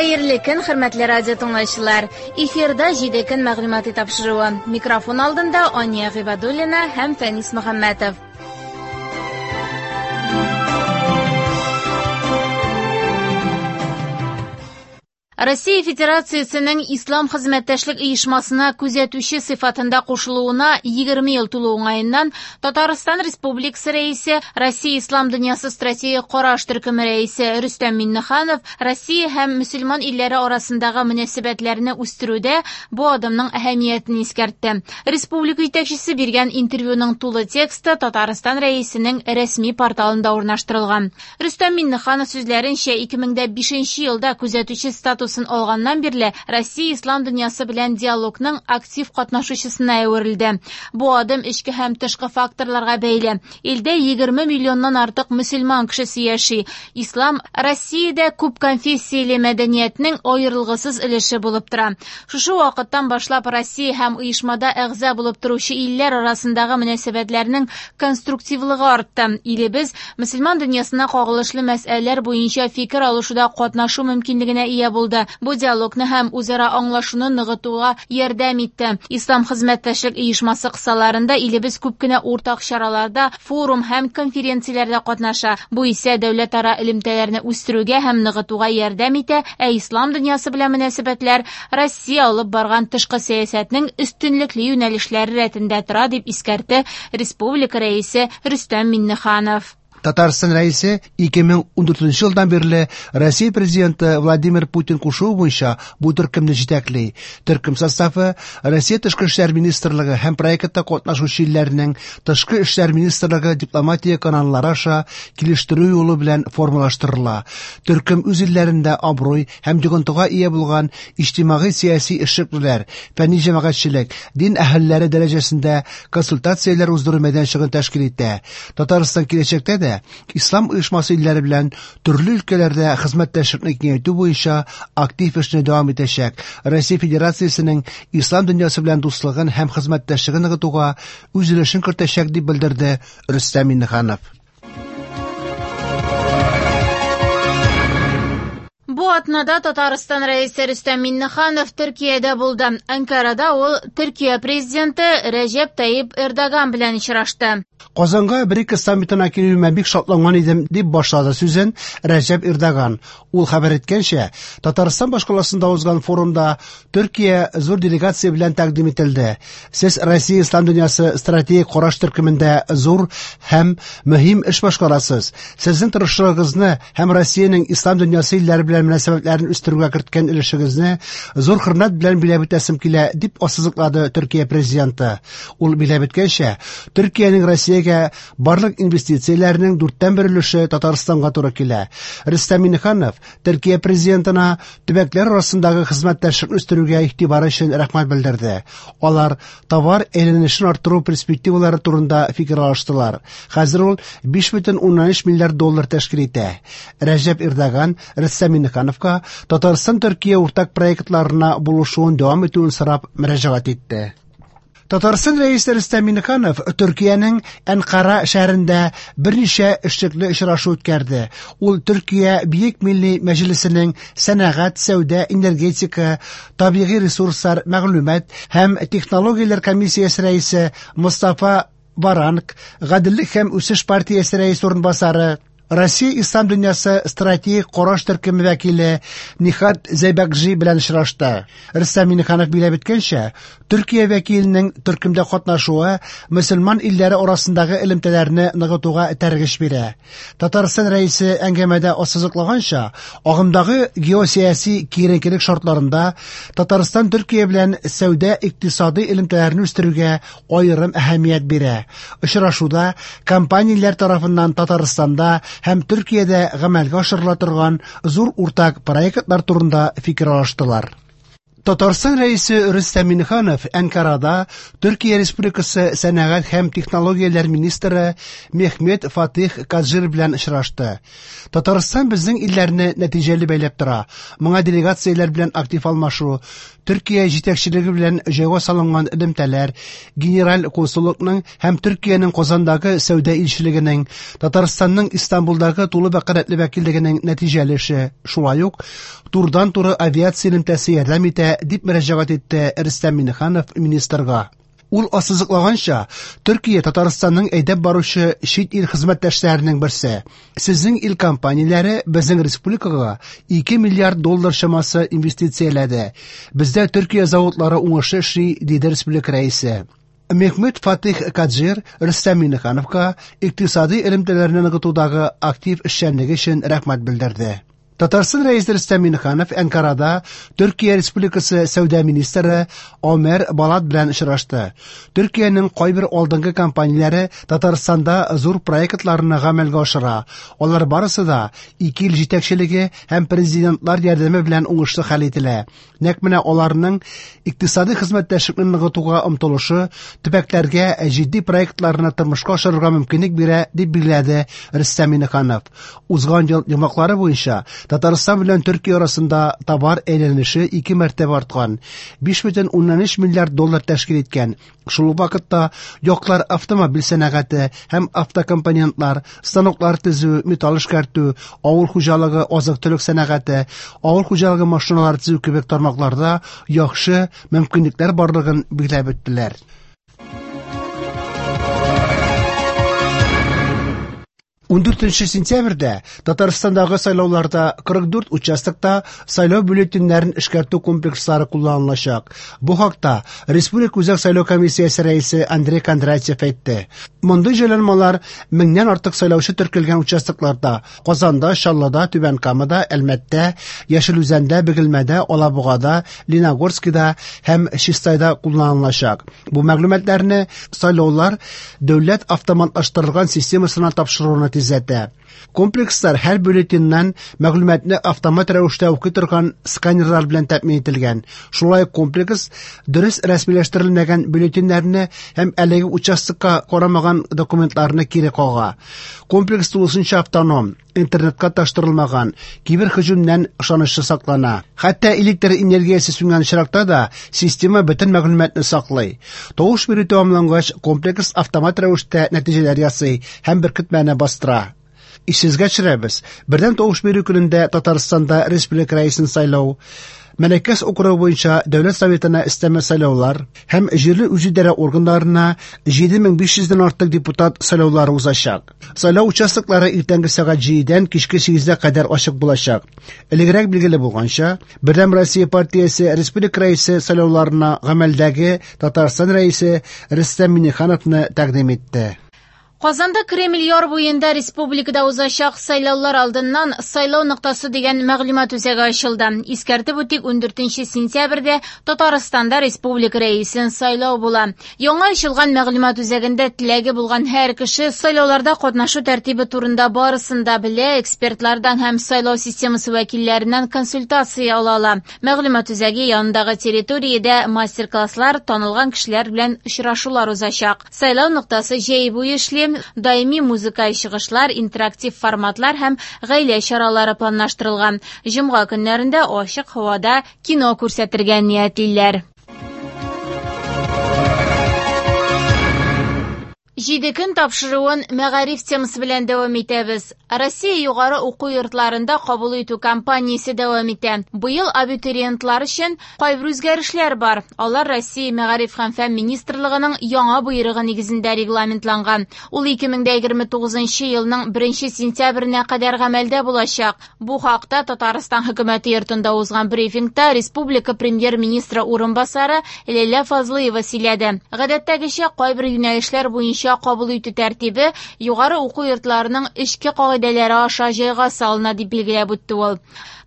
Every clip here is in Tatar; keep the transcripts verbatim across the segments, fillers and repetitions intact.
Хәерле көн, хөрмәтле радио тыңлаучылар. Эфирда җиде көн мәгълүмати тапшыруы. Микрофон алдында Ания Гыйбадуллина һәм Фәнис Мөхәммәтов. Россия Федерациясенең Ислам хезмәттәшлек оешмасына күзәтүче сыйфатында кушылуына егерме ел тулу уңаеннан Татарстан Республикасы рәисе, Россия Ислам дөньясы стратегик караш төркеме рәисе Рөстәм Миңнеханов Россия һәм мөселман илләре арасындагы мөнәсәбәтләрне үстерүдә бу адымның әһәмиятен искәртте. Республика җитәкчесе биргән интервьюның тулы тексты Татарстан рәисенең рәсми порталында урнаштырылган. Рөстәм Миңнеханов сүзләренчә, ике мең дә бишенче елда күзәтүче статусы алганнан бирле Россия ислам дөньясы белән диалогның актив катнашучысына әверелде. Бу адым эчке һәм тышкы факторларга бәйле. Илдә егерме миллионнан артык мөселман кешесе яши. Ислам Россиядә күп конфессияле мәдәниятнең аерылгысыз өлеше булып тора. Шушы вакыттан башлап Россия һәм оешмада әгъза булып торучы илләр арасындагы мөнәсәбәтләрнең конструктивлыгы артты. Илебез мөселман дөньясына кагылышлы мәсьәләләр буенча фикер алышуда катнашу мөмкинлегенә ия булды. Бу диалогны һәм үзара аңлашуны ныгытуга ярдәм итте. Ислам хезмәттәшлек оешмасы кысаларында илебез күп кенә уртак чараларда, форум һәм конференцияләрдә катнаша. Бу исә дәүләтара элемтәләрне үстерүгә һәм ныгытуга ярдәм итә, ә ислам дөньясы белән мөнәсәбәтләр Россия алып барган тышкы сәясәтнең өстенлекле юнәлешләре рәтендә тора, дип искәртте республика рәисе Рөстәм Миңнеханов. Татарстан рәисе ике мең ундүртенче елдан бирле Россия президенты Владимир Путин кушуы буенча бу төркемне җитәкли. Төркем составы Россия Тышкы эшләр министрлыгы һәм проектта катнашучы илләрнең Тышкы эшләр министрлыгы дипломатия каналлары аша килештерү юлы белән формалаштырыла. Төркем үз илләрендә абруй һәм йогынтыга ия булган иҗтимагый-сәяси эшлеклеләр, фәнни җәмәгатьчелек, дин әһелләре дәрәҗәсендә консультацияләр уздыру мәйданчыгын тәшкил итә. Татарстан киләчәктә дә Ислам оешмасы илләре белән төрле өлкәләрдә хезмәттәшлекне киңәйтү буенча актив эшне дәвам итәчәк. Россия Федерациясенең ислам дөньясы белән дуслыгын һәм хезмәттәшлеген ныгытуга үз өлешен кертәчәк, дип белдерде Рөстәм Миңнеханов. Бу атнада Татарстан рәисе Рөстәм Миңнеханов Төркиядә булды. Анкарада ул Төркия президенты Рәҗәп Тайип Эрдоган белән очрашты. Казанга БРИКС саммитына килүемә бик шатланган идем, дип башлады сүзен Рәҗәп Эрдоган. Ул хәбәр иткәнчә, Татарстан башкаласында узган форумда Төркия зур делегация белән тәкъдим ителде. Сез Россия ислам дөньясы стратегик караш төркемендә зур һәм мөһим эш башкарасыз. Сезнең тырышлыгыгызны һәм Россиянең ислам дөньясы илләре белән мөнәсәбәтләрен үстерүгә керткән өлешегезне зур хөрмәт белән биләп үтәсем килә, дип ассызыклады Төркия президенты. Ул биләп үткәнчә, Төркиянең Россиягә барлык инвестицияләренең дүрттән бер өлеше Татарстанга туры килә. Рөстәм Миңнеханов Төркия президентына төбәкләр арасындагы хезмәттәшлекне үстерүгә игътибары өчен рәхмәт белдерде. Алар товар әйләнешен арттыру перспективалары турында фикер алыштылар. Хәзер ул биш бөтен уннан өч миллиард доллар тәшкил итә. Рәҗәп Эрдоган Рөстәм Миңнехановка Татарстан Төркия уртак проектларына булышуын дәвам итүен сорап мөрәҗәгать итте. Татарстан рәисе Рөстәм Миңнеханов Төркиянең Әнкара шәһәрендә берничә эшлекле очрашу үткәрде. Ул Төркия Бөек Милли Мәҗлесенең сәнәгать, сәүдә, энергетика, табигый ресурслар, мәгълүмат һәм технологияләр комиссиясе рәисе Мустафа Варанк, Гаделлек һәм үсеш партиясе рәисе урынбасары, Россия Ислам дөньясы стратегик караш төркеме вәкиле Нихат Зәйбәкҗи белән очрашты. Рөстәм Миңнеханов биләп үткәнчә, Төркия вәкиленең төркемдә катнашуы мөселман илләре арасындагы элемтәләрне ныгытуга этәргеч бирә. Татарстан рәисе әңгәмәдә ассызыклаганча, агымдагы геосәяси киеренкелек шартларында Татарстан Төркия белән сәүдә-икътисади элемтәләрне үстерүгә аерым әһәмият бирә. Очрашуда компанияләр тарафыннан Татарстанда һәм Төркиядә гамәлгә ашырыла торган зур уртак проектлар турында фикер алыштылар. Татарстан Рәисе Рөстәм Миңнеханов Әнкарада Төркия Республикасы сәнәгать һәм технологияләр министры Мехмет Фатих Каджир белән очрашты. Татарстан безнең илләрне нәтиҗәле бәйләп тора. Моңа делегацияләр белән актив алмашу, Төркия җитәкчелеге белән җайга салынган элемтәләр, генераль консуллыкның һәм Төркиянең Казандагы сәүдә илчелегенең, Татарстанның Истанбулдагы тулы вәкаләтле вәкиллегенең нәтиҗәле эше, шулай ук турыдан-туры авиация элемтәсе ярдәм итә, дип мөрәҗәгать итте Рөстәм Миңнеханов министрга. Ул ассызыклаганча, Төркия Татарстанның әйдәп баручы чит ил хезмәттәшләренең берсе. Сезнең ил компанияләре безнең республикага ике миллиард доллар чамасы инвестицияләде. Бездә Төркия заводлары уңышлы эшли, диде республика рәисе. Мехмет Фатих Каджир Рөстәм Миңнехановка икътисади элемтәләрне ныгытудагы актив эшчәнлеге өчен рәхмәт белдерде. Татарстан Рәисе Рөстәм Миңнеханов Әнкарада Төркия Республикасы сәүдә министры Омер Балат белән очрашты. Төркиянең кайбер алдынгы компанияләре Татарстанда зур проектларны гамәлгә ашыра. Алар барысы да ике ил җитәкчелеге һәм президентлар ярдәме белән уңышлы хәл ителә. Нәкъ менә аларның икътисади хезмәттәшлекне ныгытуга омтылышы төбәкләргә җитди проектларны тормышка ашырырга мөмкинлек бирә, дип билгеләде Рөстәм Миңнеханов. Узган ел йомгаклары буенча Татарстан белән Төркия арасында товар әйләнеше ике мәртәбә арткан, биш бөтен уннан өч миллиард доллар тәшкил иткән. Шул ук вакытта яклар автомобиль сәнәгате һәм автокомпонентлар, станоклар төзү, металл эшкәртү, авыл хуҗалыгы, азык-төлек сәнәгате, авыл хуҗалыгы машиналары төзү кебек тармакларда яхшы мөмкинлекләр барлыгын билгеләп үттеләр. Ундүртенче сентябрьдә Татарстандагы сайлауларда кырык дүрт участокта сайлау бюллетеньнәрен эшкәртү комплекслары кулланылачак. Бу хакта Республика Үзәк сайлау комиссиясе рәисе Андрей Кондратьев әйтте. Мондый җайланмалар меңнән артык сайлаучы теркәлгән участокларда Казанда, Чаллыда, Түбән Камада, Әлмәттә, Яшел Үзәндә, Бөгелмәдә, Алабугада, Лениногорскида һәм Чистайда кулланылачак. Бу мәгълүматларны сайлаулар дәүләт автоматлаштырылган системасына тапшыруны тизләтә. Комплекслар һәр бюллетеньнән мәгълүматны автомат рәвештә укый торган сканерлар белән тәэмин ителгән. Шулай ук комплекс дөрес рәсмиләштерелмәгән бюллетеньнәрне һәм әлеге участокка карамаган документларны кире кага. Комплекс тулысынча автоном, интернетка таштырылмаган, кибер һөҗүмнән ышанычлы саклана. Хәтта электр энергиясе сүнгән очракта да система бөтен мәгълүматны саклый. Тавыш бирү тәмамлангач, комплекс автомат рәвештә нәтиҗәләр ясый һәм беркетмәне бастыра. Исегезгә төшерәбез, бердәм тавыш бирү көнендә Татарстанда республика рәисен сайлау, Мәләкәс округы буенча Дәүләт Советына өстәмә сайлаулар һәм җирле үзидарә органнарына җиде мең биш йөздән артык депутат сайлаулары узачак. Сайлау участоклары иртәнге сәгать җидедән кичке сигезгә кадәр ачык булачак. Элегрәк билгеле булганча, Бердәм Россия партиясе республика рәисе сайлауларына гамәлдәге Татарстан рәисе Рөстәм Миңнехановны тәкъдим итте. Казанда Кремль яр буенда республикада узачак сайлаулар алдыннан сайлау ноктасы дигән мәгълүмат үзәге ачылды. Искәртеп үтик, ундүртенче сентябрьдә Татарстанда республика рәисен сайлау була. Яңа ачылган мәгълүмат үзәгендә теләге булган һәр кеше сайлауларда катнашу тәртибе турында барысын да белә, экспертлардан һәм сайлау системасы вәкилләреннән консультация ала ала. Мәгълүмат үзәге янындагы территориядә мастер-класслар, танылган кешеләр белән очрашулар узачак. Сайлау ноктасы җәй буе эшли. Даими музыка чыгышлар, интерактив форматлар һәм гаилә чаралары планлаштырылган. Җомга көннәрендә ачык һавада кино күрсәтергә ниятлиләр. Җиде көн тапшыруын мәгариф темасы белән дәвам итәбез. Россия югары уку йортларында кабул итү кампаниясе дәвам итә. Быел абитуриентлар өчен кайбер үзгәрешләр бар. Алар Россия мәгариф һәм фән министрлыгының яңа боерыгы нигезендә регламентланган. Ул ике мең дә егерме тугызынчы елның беренче сентябренә кадәр гамәлдә булачак. Бу хакта Татарстан хөкүмәте йортында узган брифингта республика премьер-министры урынбасары Ләйлә Фазлыева сөйләде. Гадәттәгечә кайбер юнәлешләр буенча кабул итү тәртибе югары уку йортларының эчке кагыйдәләре аша җайга салына, дип билгеләп үтте ул.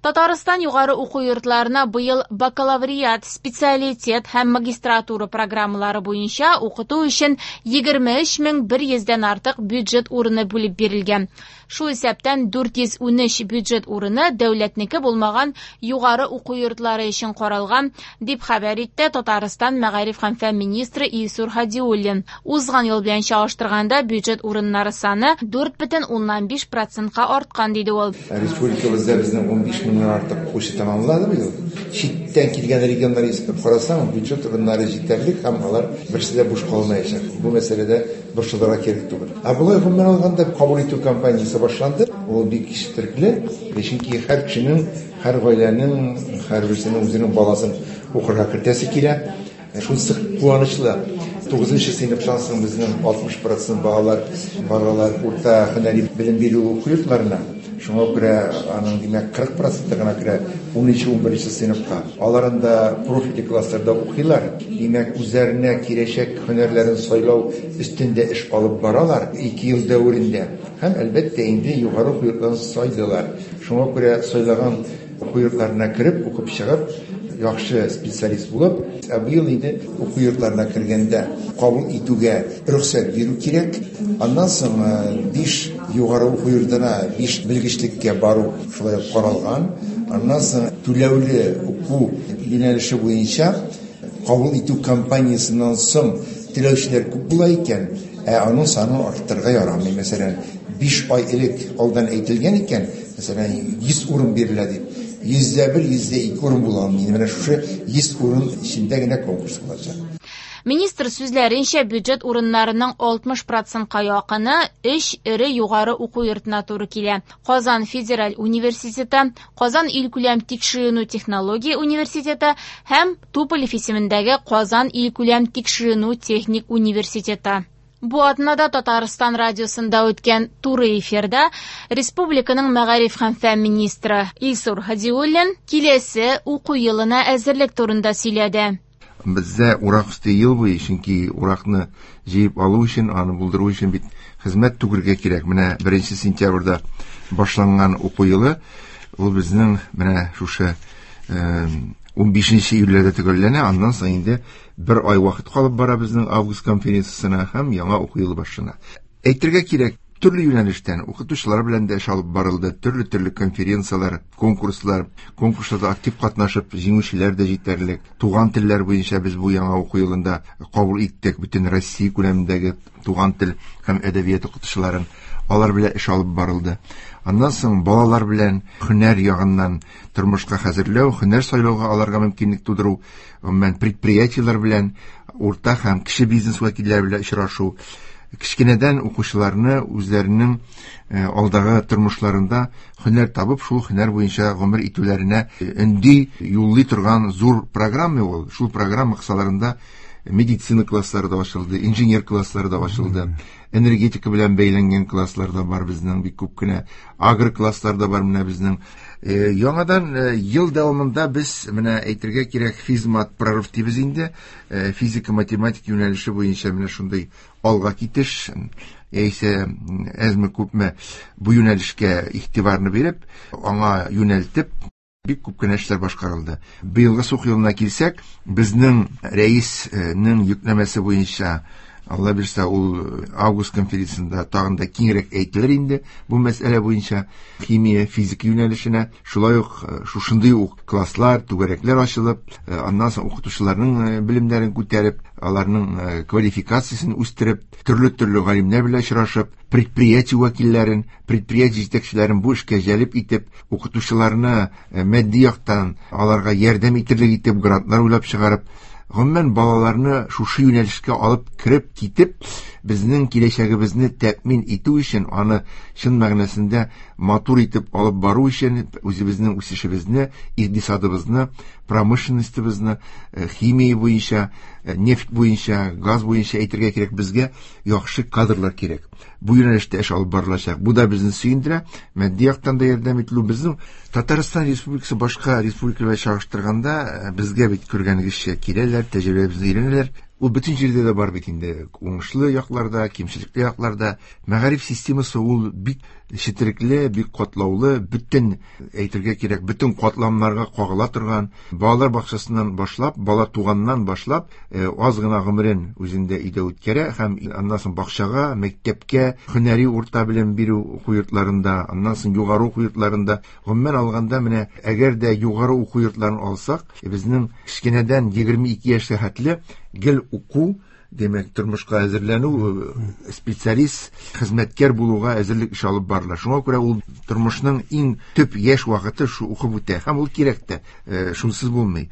Татарстан югары уку йортларына быел бакалавриат, специалитет һәм магистратура программалары буенча укыту өчен егерме өч мең бер йөздән артык бюджет урыны бүлеп бирелгән. Шул исәптән дүрт йөз унөч бюджет урыны дәүләтнеке булмаган югары уку йортлары өчен каралган, дип хәбәр итте Татарстан мәгариф һәм фән министры Илсур Һадиуллин. Узган ел белән чагыштырганда бюджет урыннары саны дүрт бөтен уннан биш процентка арткан, диде ул. Республикабызда безнең унбиш меңнән артык укучы тәмамлады быел. Читтән килгән регионнар исәпләп карасаң, бюджет урыннары җитәрлек һәм алар берсе дә буш калмаячак. Бу мәсьәләдә борчылырга кирәк түгел. Ә болай гомумән алганда кабул итү кампаниясе башланды. Ул бик четерекле, чөнки һәр кешенең, һәр гаиләнең, һәрберсенең үзенең баласын укырга кертәсе килә. Шунысы куанычлы. Тугызынчы сыйныфтан соң безнең алтмыш процент балалар баралар урта һөнәри белем бирү уку йортларына. Шуңа күрә аның, димәк, кырык проценты гына керә унынчы, унберенче сыйныфка. Алар анда профильле классларда укыйлар. Димәк, үзләренә киләчәк һөнәрләрен сайлау өстендә эш алып баралар ике ел дәверендә. Һәм әлбәттә инде югары уку йортларын сайлыйлар. Шуңа күрә сайлаган уку йортларына кереп, укып чыгып, яхшы специалист булып, ә быел инде уку йортларына кергәндә кабул итүгә рөхсәт бирү кирәк. Аннан соң биш югары уку йортына биш белгечлеккә бару шулай ук каралган. Аннан соң түләүле уку юнәлеше буенча кабул итү кампаниясеннән соң теләүчеләр күп була икән, ә аның санын арттырырга ярамый. Мәсәлән, биш ай элек алдан әйтелгән икән, мәсәлән, йөз урын бирелә дип, йөздә бер, йөздә ике урын була алмый. Менә шушы йөз урын эчендә генә конкурс булачак. Министр сүзләренчә, бюджет урыннарының алтмыш процентка якыны өч эре югары уку йортына туры килә. Казан федераль университеты, Казан илкүләм тикшеренү технология университеты һәм Туполев исемендәге Казан илкүләм тикшеренү техник университеты. Бу атнада Татарстан радиосында үткән туры эфирда республиканың мәгариф һәм фән министры Илсур Һадиуллин киләсе уку елына әзерлек турында сөйләде. Бездә урак өсте ел буе, чөнки уракны җыеп алу өчен, аны булдыру өчен бит хезмәт түгергә кирәк. Менә беренче сентябрьдә башланган уку елы, ул безнең менә шушы, э, унбишенче июльдә төгәлләнә, аннан соң инде бер ай вакыт калып бара безнең август конференциясенә һәм яңа уку елы башлана. Әйтергә кирәк, төрле юнәлештән укытучылар белән дә эш алып барылды, төрле-төрле конференцияләр, конкурслар, конкурсларда актив катнашып җиңүчеләр дә җитәрлек. Туган телләр буенча без бу яңа уку елында кабул иттек бөтен Россия күләмендәге туган тел һәм әдәбият укытучыларын, алар белән эш алып барылды. Аннан соң балалар белән һөнәр ягыннан тормышка хәзерләү, һөнәр сайлауга аларга мөмкинлек тудыру, гомумән предприятиеләр белән, урта һәм кече бизнес вәкилләре белән очрашу, кечкенәдән укучыларны үзләренең, э, алдагы тормышларында һөнәр табып, шул һөнәр буенча гомер итүләренә өнди, юллый торган зур программа ул. Шул программа кысаларында медицина класслары да ачылды, инженер класслары да ачылды, энергетика белән бәйләнгән класслар да бар безнең бик күп кенә, агро класслар да бар менә безнең. Э, яңадан, э, ел дәвамында без менә әйтергә кирәк, физмат прорыв дибез инде, э, физика, математика юнәлеше буенча менә шундый алга китеш, яисә әзме күпме бу юнәлешкә игътибарны биреп, аңа юнәлтеп бик күп кенә эшләр башкарылды. Быелгы уку елына килсәк, безнең рәиснең йөкләмәсе буенча, Алла бирсә, ул август конференциясендә тагын да киңрәк әйтелер инде бу мәсьәлә буенча химия, физика юнәлешенә шулай ук, э, шушындый ук класслар, түгәрәкләр ачылып, э, аннан соң укытучыларның, э, белемнәрен күтәреп, аларның, э, квалификациясен үстереп, төрле-төрле галимнәр белән очрашып, предприятие вәкилләрен, предприятие җитәкчеләрен бу эшкә җәлеп итеп, укытучыларны, э, матди яктан аларга ярдәм итерлек итеп грантлар уйлап чыгарып, гомумән балаларны шушы юнәлешкә алып кереп китеп, безнең киләчәгебезне тәэмин итү өчен, аны чын мәгънәсендә матур итеп алып бару өчен, үзебезнең үсешебезне, икътисадыбызны, промышленностебызны, э, химия буенча, э, нефть буенча, газ буенча әйтергә кирәк, безгә яхшы кадрлар кирәк. Бу юнәлештә эш алып барылачак. Бу да безне сөендерә. Матди яктан да ярдәм ителү безнең Татарстан Республикасы башка республикалар белән чагыштырганда, э, безгә бит күргәнегезчә киләләр, тәҗрибәбезне өйрәнәләр. Ул бөтен җирдә дә бар бит инде. Уңышлы якларда, кимчелекле якларда. Мәгариф системасы ул бик четерекле, бик катлаулы, бөтен әйтергә кирәк, бөтен катламнарга кагыла торган. Балалар бакчасыннан башлап, бала туганнан башлап, аз гына гомерен үзендә өйдә үткәрә һәм аннан соң бакчага, мәктәпкә, һөнәри урта белем бирү уку йортларында, аннан соң югары уку йортларында. Гомумән алганда, менә әгәр дә югары уку йортларын алсак, безнең кечкенәдән егерме ике яшькә хәтле гел уку, демәк, тормышка әзерләнү, специалист, хезмәткәр булуга әзерлек эше алып барыла. Шуңа күрә ул тормышның иң төп яшь вакыты шу укып үтә һәм ул кирәк тә, шунсыз булмый.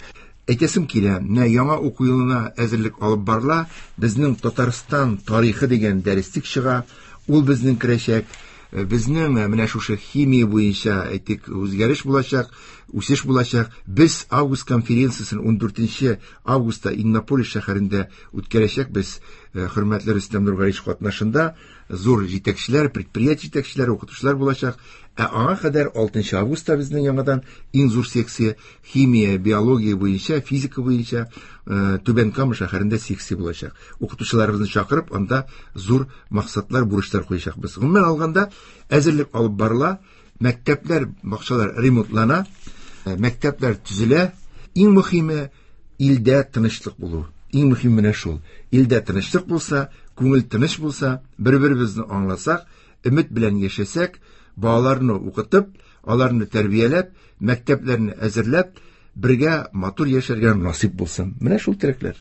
Әйтәсем килә, менә яңа уку елына әзерлек алып барыла. Безнең Татарстан тарихы дигән дәреслек чыга, ул безнең керәчәк. Безнең менә шушы химия буенча әйтик үзгәреш булачак, үсеш булачак. Без август конференциясен ундүртенче августта Иннополис шәһәрендә үткәрәчәкбез. Хөрмәтле Рөстәм Нургалиевич катнашында зур җитәкчеләр, предприятие җитәкчеләре, укытучылар булачак. Ә аңа кадәр алтынчы августта безнең яңадан иң зур секция химия, биология буенча, физика буенча Түбән Кама шәһәрендә секция булачак. Укытучыларыбызны чакырып, анда зур максатлар, бурычлар куячакбыз. Гомумән алганда, әзерлек алып барыла, мәктәпләр, бакчалар ремонтлана, мәктәпләр төзелә. Иң мөһиме илдә тынычлык булу. Иң мөһиме менә шул. Илдә тынычлык булса, күңел тыныч булса, бер-беребезне аңласак, өмет белән яшәсәк, балаларны укытып, аларны тәрбияләп, мәктәпләрне әзерләп, бергә матур яшәргә насыйп булсын. Менә шул теләкләр.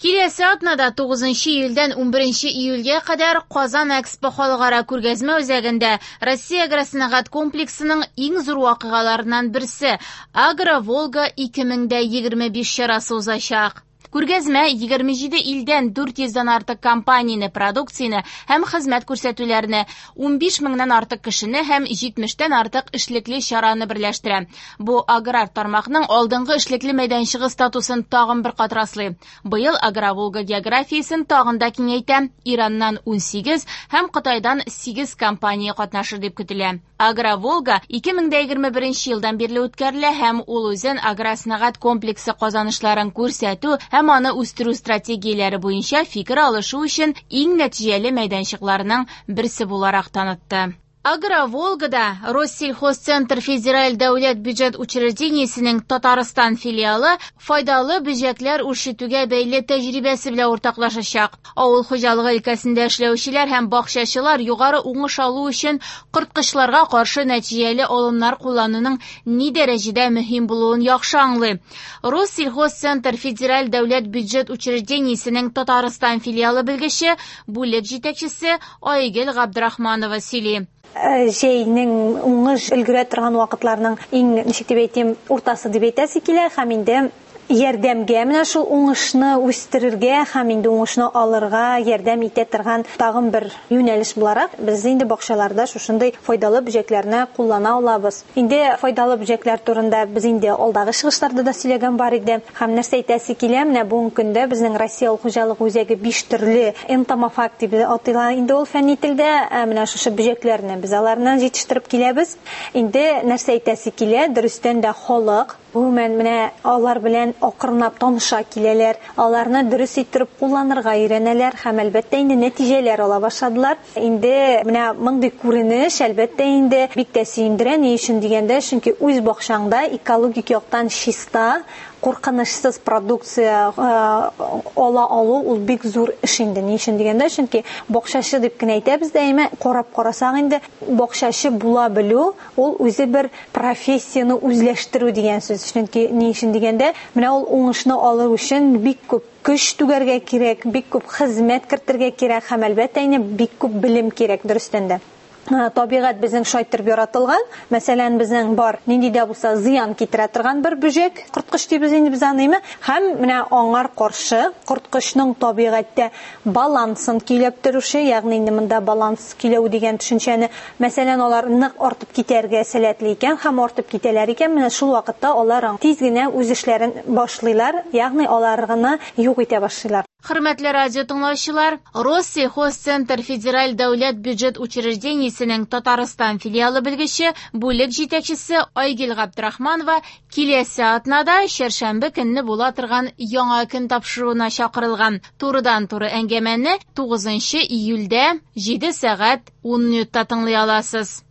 Киләсе атнада тугызынчы июльдән унберенче июльгә кадәр Казан Экспо халыкара күргәзмә үзәгендә Россия агросәнәгать комплексының иң зур вакыйгаларыннан берсе Агро-Волга ике мең дә егерме биш чарасы узачак. Күргәзмә егерме җиде илдән дүрт йөздән артык компанияне, продукцияне һәм хезмәт күрсәтүләрне, унбиш меңнән артык кешене һәм җитмештән артык эшлекле чараны берләштерә. Бу аграр тармакның алдынгы эшлекле мәйданчыгы статусын тагын бер кат раслый. Быел Агро-Волга географиясен тагын да киңәйтә. Ираннан унсигез һәм Кытайдан сигез компания катнашыр дип көтелә. Агро-Волга ике мең дә егерме беренче елдан бирле үткәрелә һәм ул үзен агросәнәгать комплексы казанышларын күрсәтү һәм аны үстерү стратегияләре буенча фикер алышу өчен иң нәтиҗәле мәйданчыкларның берсе буларак танытты. Агро-Волгада Россельхозцентр федераль дәүләт бюджет учреждениесенең Татарстан филиалы файдалы бөҗәкләр үрчетүгә бәйле тәҗрибәсе белән уртаклашачак. Авыл хуҗалыгы өлкәсендә эшләүчеләр һәм бакчачылар югары уңыш алу өчен корткычларга каршы нәтиҗәле алымнар куллануның ни дәрәҗәдә мөһим булуын яхшы аңлый. Россельхозцентр федераль дәүләт бюджет учреждениесенең Татарстан филиалы белгече, бүлек җитәкчесе Айгөл Габдрахманова сөйли. Җәйнең уңыш өлгерә торган вакытларының иң, ничек дип әйтим, уртасы дип әйтәсе килә, һәм инде ярдәмгә менә шул уңышны үстерергә һәм инде уңышны алырга ярдәм итә торган тагын бер юнәлеш буларак без инде бакчаларда шушындый файдалы бөҗәкләрне куллана алабыз. Инде файдалы бөҗәкләр турында без инде алдагы чыгышларда да сөйләгән бар иде. Һәм нәрсә әйтәсе килә, менә бүгенге көндә безнең Россия авыл хуҗалыгы үзәге биш төрле энтомофаг дип атыла инде ул фәнни телдә, ә менә шушы бөҗәкләрне без аларны җитештереп киләбез. Инде нәрсә әйтәсе килә, дөрестән дә халык гомумән менә алар белән акрынлап таныша киләләр, аларны дөрес иттереп кулланырга өйрәнәләр һәм әлбәттә инде нәтиҗәләр ала башладылар. Инде менә мондый күренеш әлбәттә инде бик тә сөендерә. Ни өчен дигәндә, чөнки үз бакчаңда экологик яктан чиста, куркынычсыз продукция ала алу ул бик зур эш инде. Ни өчен дигәндә, чөнки бакчачы дип кенә әйтәбез дә, әмма карап карасаң инде бакчачы була белү ул үзе бер профессияне үзләштерү дигән сүз. Чөнки ни өчен дигәндә, менә ул уңышны алу өчен бик күп көч түгәргә кирәк, бик күп хезмәт кертергә кирәк һәм әлбәттә инде бик күп белем кирәк дөрестән дә. Табигать безнең шайтырып яратылган. Мәсәлән, безнең бар нинди дә булса зыян китерә торган бер бөҗәк, корткыч дибез инде без аны, һәм менә аңар каршы корткычның табигатьтә балансын көйләп торучы, ягъни инде монда баланс көйләү дигән төшенчәне, мәсәлән, алар нык артып китәргә сәләтле икән һәм артып китәләр икән, менә шул вакытта алар тиз генә үз эшләрен башлыйлар, ягъни алар гына юк итә башлыйлар. Хөрмәтле радио тыңлаучылар, Россельхозцентр федераль дәүләт бюджет учреждениесенең Татарстан филиалы белгече, бүлек җитәкчесе Айгөл Габдрахманова киләсе атнада чәршәмбе көнне була торган яңа көн тапшыруына чакырылган. Турыдан-туры әңгәмәне тугызынчы июльдә җиде сәгать ун минутта тыңлый аласыз.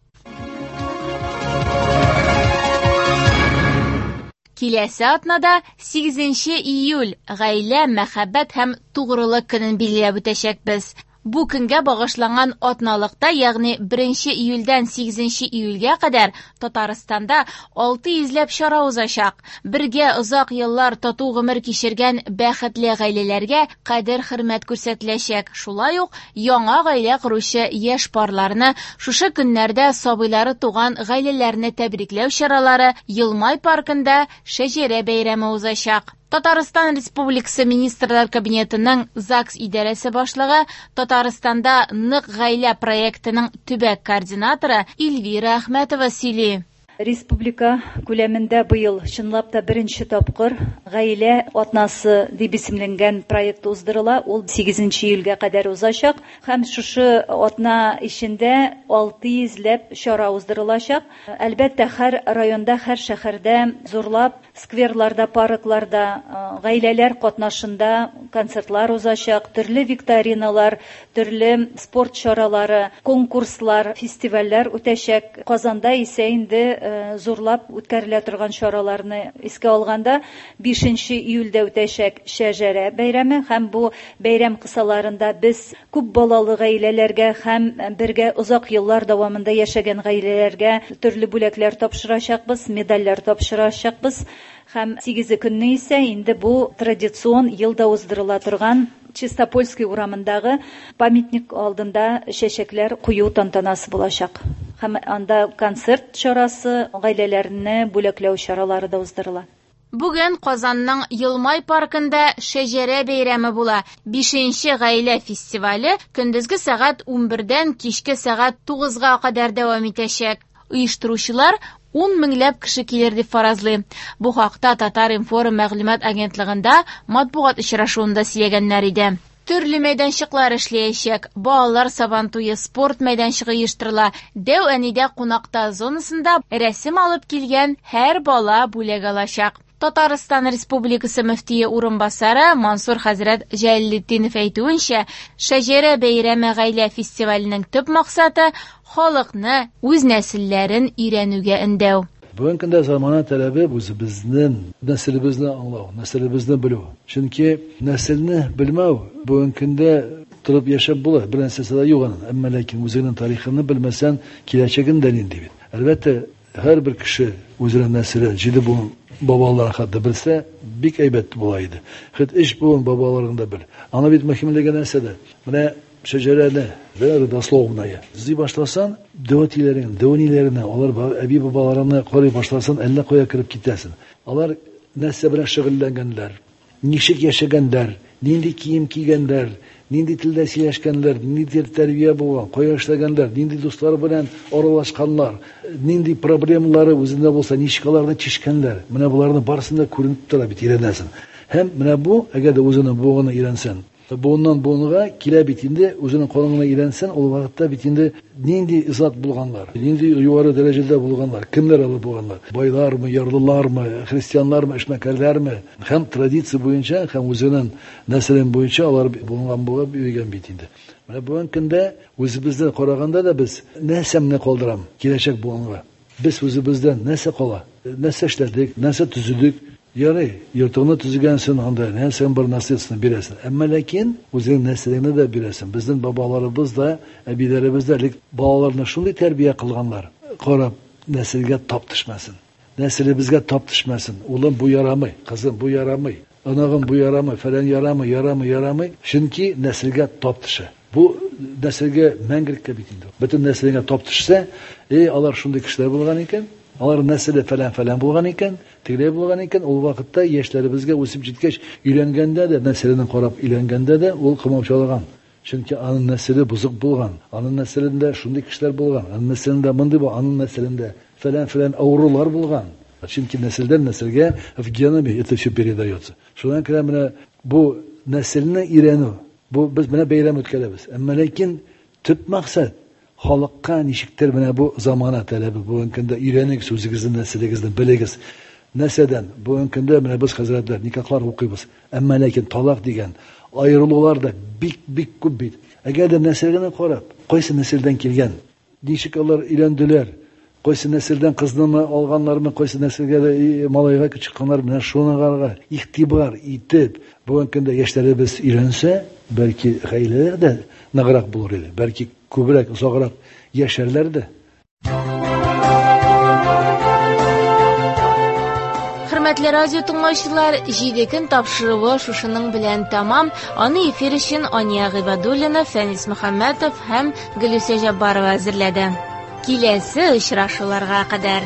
Киләсе атнада сигезенче июль гаилә, мәхәббәт һәм тугрылык көнен билгеләп үтәчәкбез. Бу көнгә багышланган атналыкта, ягъни беренче июльдән сигезенче июльгә кадәр Татарстанда алты йөзләп чара узачак. Бергә озак еллар тату гомер кичергән бәхетле гаиләләргә кадер-хөрмәт күрсәтеләчәк. Шулай ук яңа гаилә коручы яшь парларны, шушы көннәрдә сабыйлары туган гаиләләрне тәбрикләү чаралары Йылмай паркында шәҗәрә бәйрәме узачак. Татарстан Республикасы Министрлар Кабинетының ЗАГС идарәсе башлыгы, Татарстанда нык гаилә проектының төбәк координаторы Эльвира Әхмәтова сөйли. Республика күләмендә быел чынлап та беренче тапкыр гаилә атнасы дип исемләнгән проект уздырыла. Ул сигезенче июльгә кадәр узачак һәм шушы атна эчендә алты йөзләп чара уздырылачак. Әлбәттә, һәр районда, һәр шәһәрдә зурлап скверларда, паркларда гаиләләр катнашында концертлар узачак, төрле викториналар, төрле спорт чаралары, конкурслар, фестивальләр үтәчәк. Казанда исә инде зурлап үткәрелә торган чараларны искә алганда бишенче июльдә үтәчәк шәҗәрә бәйрәме һәм бу бәйрәм кысаларында без күп балалы гаиләләргә һәм бергә озак еллар дәвамында яшәгән гаиләләргә төрле бүләкләр тапшырачакбыз, медальләр тапшырачакбыз. Һәм сигезе көнне исә инде бу традицион елда уздырыла торган Чистопольский урамындагы памятник алдында чәчәкләр кую тантанасы булачак. Һәм анда концерт чарасы, гаиләләрне бүләкләү чаралары да уздырыла. Бүген Казанның Йылмай паркында шәҗәрә бәйрәме була. Бишенче гаилә фестивале көндезге сәгать унбердән кичке сәгать тугызга кадәр дәвам итәчәк. Оештыручылар ун меңләп кеше килер дип фаразлый. Бу хакта Татар-информ мәгълүмат агентлыгында матбугат очрашуында сөйләгәннәр иде. Төрле мәйданчыклар эшләячәк. Балалар сабантуе, спорт мәйданчыгы оештырыла. Дәү әнидә кунакта зонасында рәсем алып килгән һәр бала бүләк алачак. Татарстан Республикасы мөфтие урынбасары Мансур хәзрәт Җәләлетдинов әйтүенчә, шәҗәрә бәйрәме гаилә фестиваленең төп максаты халыкны үз нәселләрен өйрәнүгә өндәү. Бүгенге көндә замана таләбе үзебезнең нәселебезне аңлау, нәселебезне белү. Чөнки нәселне белмәү бүгенге көндә торып яшәп була, бер нәрсәсе дә юк аның. Әмма ләкин үзеңнең тарихыңны белмәсәң, киләчәгең дә нинди бит. Әлбәттә, һәрбер кеше үзенең нәселе, җиде буын бабаларын хәтта белсә, бик әйбәт була иде. Хәтта өч буын бабаларын да бел. Аны бит мөһимлеге нәрсәдә? Менә шәҗәрәне, родословная. Эзли башласаң, дәү әтиләрең, дәү әниләреңне, алар әби бабаларыңны карый башласаң, әллә кая кереп китәсең. Алар нәрсә белән шөгыльләнгәннәр, ничек яшәгәннәр, нинди кием кигәннәр, нинди телдә сөйләшкәннәр, нинди тәрбия булган, кая эшләгәннәр, нинди дуслар белән аралашканнар, нинди проблемалары үзендә булса, ничек аларны чишкәннәр. Менә боларның барысын да күренеп тора бит, өйрәнәсең. Һәм менә бу, әгәр дә үзенең буынын өйрәнсәң, буыннан буынга килә бит инде, үзенең канунына өйрәнсәң, ул вакытта бит инде нинди зат булганнар, нинди югары дәрәҗәдә булганнар, кемнәр алып булганнар, байлармы, ярлылармы, христианнармы, эшмәкәрләрме, һәм традиция буенча, һәм үзенең нәселен буенча алар булган булып йөргән бит инде. Менә бүгенге көндә үзебездән караганда да без нәрсәмне калдырам киләчәк буынга. Без үзебездән нәрсә кала, нәрсә эшләдек, нәрсә төзедек. Ярый, йортыңны төзегәнсең, анда нәрсәң бар наследствоны бирәсең. Әмма ләкин үзеңнең нәселеңне дә бирәсең. Безнең бабаларыбыз да, әбиләребез дә элек балаларны шундый тәрбия кылганнар. Карап, нәселгә тап төшмәсен. Нәселебезгә тап төшмәсен. Улым бу ярамый, кызым бу ярамый, анагым бу ярамый, фәлән ярамый, ярамый, ярамый. Чөнки нәселгә тап төшә. Бу нәселгә мәңгелеккә бит инде. Бөтен нәселеңә тап төшсә, эй, алар шундый кешеләр булган икән. Алар нәселе фәлән-фәлән булган икән, тегеләй булган икән, ул вакытта яшьләребезгә үсеп җиткәч, өйләнгәндә дә, нәселен карап өйләнгәндә дә ул комаучалаган. Чөнки аның нәселе бозык булган, аның нәселендә шундый кешеләр булган, аның нәселендә мондый бу, аның нәселендә фәлән-фәлән авырулар булган. Чөнки нәселдән нәселгә в геноме это все передается. Шуннан күрә менә бу нәселне өйрәнү. Бу без менә бәйрәм үткәрәбез. Әмма ләкин төп максат халыкка ничектер менә бу замана таләбе. Бүгенге көндә өйрәнегез, үзегезнең нәселегезне белегез. Нәрсәдән? Бүгенге көндә менә без хәзрәтләр никахлар укыйбыз. Әмма ләкин талак дигән аерылулар да бик-бик күп бит. Әгәр дә нәселгә карап, кайсы нәселдән килгән, ничек алар өйләнделәр, кайсы нәселдән кызны алганнармы, кайсы нәселгә малайга чыкканнар, менә шуңарга игътибар итеп, бүгенге көндә яшьләребез өйрәнсә, бәлки гаиләләр дә ныграк булыр иде, бәлки күбрәк, озаграк яшәрләр дә. Хөрмәтле радио тыңлаучылар, җиде көн тапшыруы шушының белән тәмам. Аны эфир өчен Ания Гыйбадуллина, Фәнис Мөхәммәтов һәм Гөлүсә Җаббарова әзерләде. Киләсе очрашуларга кадәр.